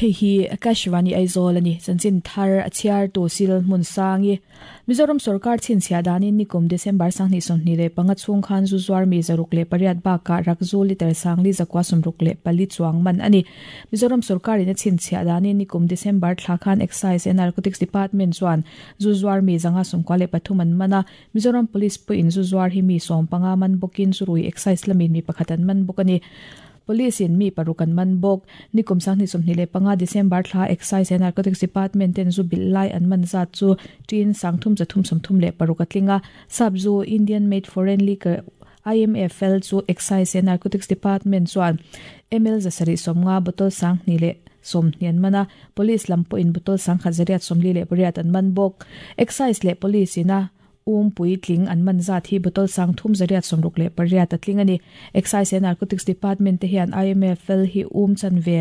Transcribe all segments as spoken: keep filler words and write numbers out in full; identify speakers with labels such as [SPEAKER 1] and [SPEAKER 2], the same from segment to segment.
[SPEAKER 1] Hei hi Akashvani Aizawl ani chanchin thar a chhiar tu sil hmun sangi Mizoram sarkar chinchhia danin nikum December sanghni sawmhnih leh panga chhung khan zu zuar mi zaruk leh pariat bakah rakzu liter sangli zakua sawmruk leh pali chuang man ani Mizoram sarkar in a chinchhia danin nikum December thla khan Excise and Narcotics Department chuan zu zuar mi zanga sawmkua leh pathum an mana Mizoram Police pawh in zu zuar hi mi sawm panga man bawkin zu rui excise lamin mi pakhat an man bawk ani Police in mi parukan man bok nikum sanghni sawmhnih leh panga December thla Excise and Narcotics Department ten zu bil lai an man zat chu tin sangthum zathum sawmthum leh paruk atlinga sabzu Indian made foreign liquor I M F L chu Excise and Narcotics Department chuan M L zasari sawmnga bottle sanghni leh sawmhnian mana police lampo in bottle sangkhat zariat sawmli leh pariat an man bok Excise leh police ina um pui tling an man zat hi bottle sang thum zariat somruk leh pariat atling ani Excise and Narcotics Department te hian I M F L hi um chan ve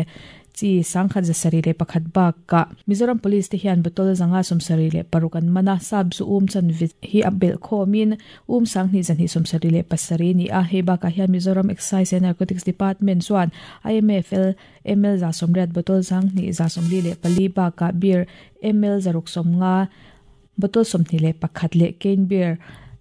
[SPEAKER 1] chi sangkhat zasari leh pakhat bak ka Mizoram Police te hian bottle zanga somsari leh paruk an mana sab zu um chan ve hi abel khomin um sanghni zanhi somsari leh pasari ni a he ba ka hian Mizoram Excise and Narcotics Department chuan I M F L M L za somriat bottle sanghni za somli leh pali ba ka beer M L zaruk somnga bottle somhni leh pakhat leh cane beer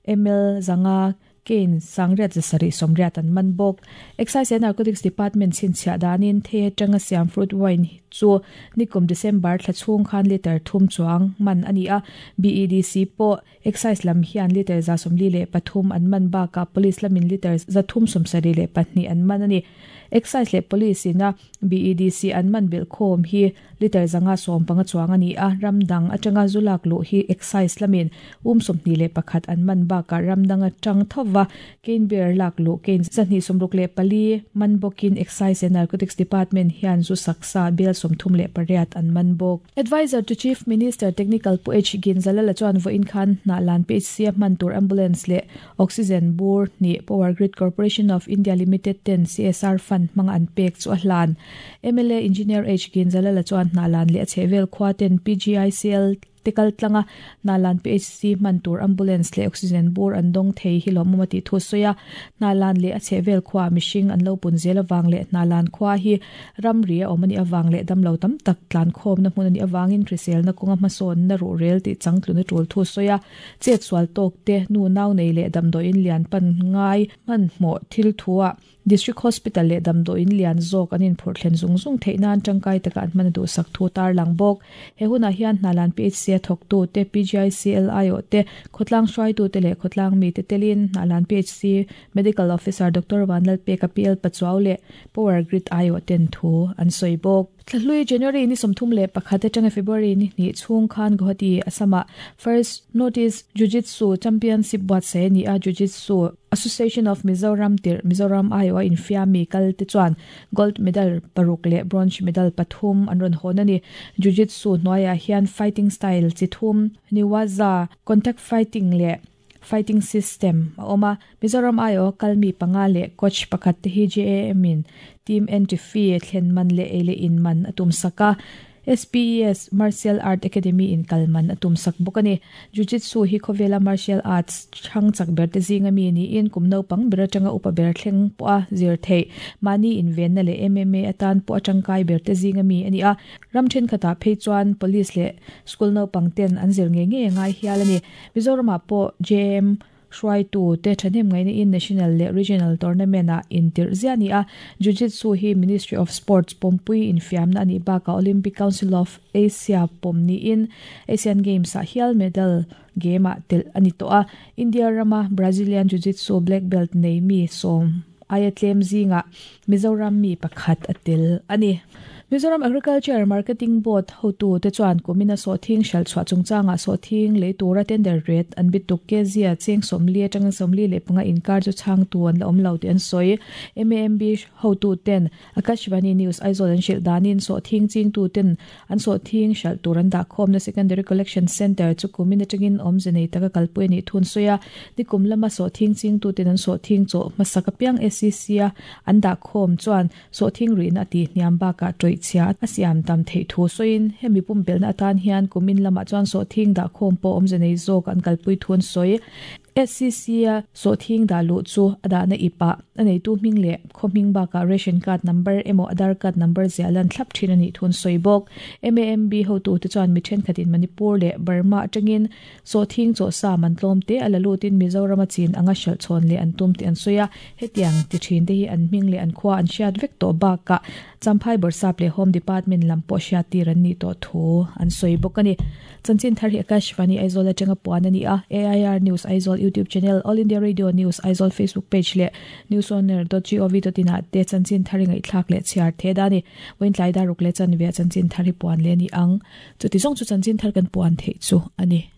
[SPEAKER 1] M L zanga cane sangriat zasari somriat an man bok Excise and Narcotics Department chinchhia danin the tanga siam fruit wine chu nikum December thla chhung khan liter thum chuang man ani a B E D C po excise lam hian liter za somli leh pathum an man ba ka police lamin liter za thum somsari leh pahnih an man ani Excise leh police ina B E D C an man bil khom hi liter zanga som panga chuang ani a ramdang atanga zulak lu hi excise lamin um somhni leh pakhat an man ba ka ramdang atang thowa cane beer lak lu cane zahni somruk leh pali man bokin Excise and Narcotics Department hian zu saksa bel somthum leh pariat an man bok Advisor to Chief Minister Technical Pu H Ginzalala chuan vo in khan na lan P H C man tur ambulance leh oxygen bur ni Power Grid Corporation of India Limited ten C S R fund manga an pek chu a hlan M L A Engineer H Ginzalala chuan na lan leh a chhevel khwa ten P G I C L tikal tlanga nalan P H C man tur ambulance le oxygen bur an dong thei hi lo mumati thu soya nalan le a chhevel khwa mishing an lo pun zel awang le nalan khwa hi ramri a omani awang le damlo tam tak tlan khom na hmun ani awangin krisel na kunga mason na ru rel ti changtlu na tul thu soya chet swal tok te nu naw nei le damdo in lian pan ngai man mo thil thuwa District Hospital le damdo in lian zok anin phur thlen zung zung theinan tangkai taka an man du sak thu tar lang bok he huna hian nalan P H C thok tu te P G I C L I O te khotlang hrai tu te le khotlang mi te telin nalan P H C Medical Officer Doctor Vanlal P K P L Pachuau le Power Grid I O ten thu an soi bok Thlui January ni somthum le pakhat atanga February ni ni chung khan Guwahati asama First Notice Jiu-Jitsu Championship buat se ni a Jiu-Jitsu Association of Mizoram tir Mizoram I O in fiami kal te chuan gold medal paruk le bronze medal pathum an ron hon ani Jiu-Jitsu noya hian fighting style chi thum niwaza contact fighting le fighting system oma Mizoram I O kalmi panga le coach pakhat te hi J A M in team entry fee thlen man le ele in man atum saka S P E S Martial Art Academy in Kalman atum sak bokani Jiu-Jitsu hi khovela martial arts chang chak ber te zinga mi ni in kumno pang ber atanga upa ber thleng po a zir thei mani in ven na le M M A atan po atangkai ber te zinga mi ani a ramthen khata phei chuan police le school no pang ten an zir nge nge ngai hial ani Mizoram po J M hruai tu te thanem ngai ni in national le regional tournament a in tir ziani a Jiu-Jitsu hi Ministry of Sports pompui in fiamna ani ba ka Olympic Council of Asia pomni in Asian Games a hial medal game a tel ani to a India rama Brazilian Jiu-Jitsu black belt nei mi som ayatlem zinga Mizoram mi pakhat atel ani Mizoram Agriculture Marketing Board hotu te chuan kumina so thing shal chwa chungchanga so thing le tura tender rate an bituk ke zia cheng somli atang somli le panga inkar chu chang tu an la om lo te an soi M A M B hotu ten Akashvani News Aizawl an shil danin so thing ching tu ten an so thing shal turan da khom na secondary collection center chu kumina tangin om zenei taka kalpui ni thun soya nikum lama so thing ching tu ten an so thing cho masaka piang S C C a an da khom chuan so thing ri na ti hniam ba ka troi chia asiam tam thei thu soin hemi pum belna atan hian kumin lama chuan so thing da khom po om zenei zok an kalpui thun soi S C C a sawhthing dah luh chu a dahna ipa a neitu hming leh khaw hming bakah ration card number emaw Aadhaar card number ziah lan thlap thin a nih thun sawi bawk. M A M B hotu te chuan mi thenkhatin Manipur leh Burma atangin sawhthing chaw sa man tlawm te a la lutin Mizoram a chin anga hralh chhawn leh an tum tih an sawi a. Hetiang ti thin te hi an hming leh an khua an hriat vek tawh bakah Champhai Bawrhsap leh Home Department lam pawh hriat tir an nih tawh thu an sawi bawk a ni. Chanchin thar hi Akashvani Aizawl atanga puan a ni a. A I R News Aizawl YouTube channel, All India Radio News Aizawl Facebook page leh newsoner dot gov dot in ah te chanchin thar hi ngaihthlak leh chhiar the da ni. Vawiin daruk leh chanve chanchin thar hi puan leh ni ang. Chuti zawng chu chanchin thar kan puan theih chu a ni.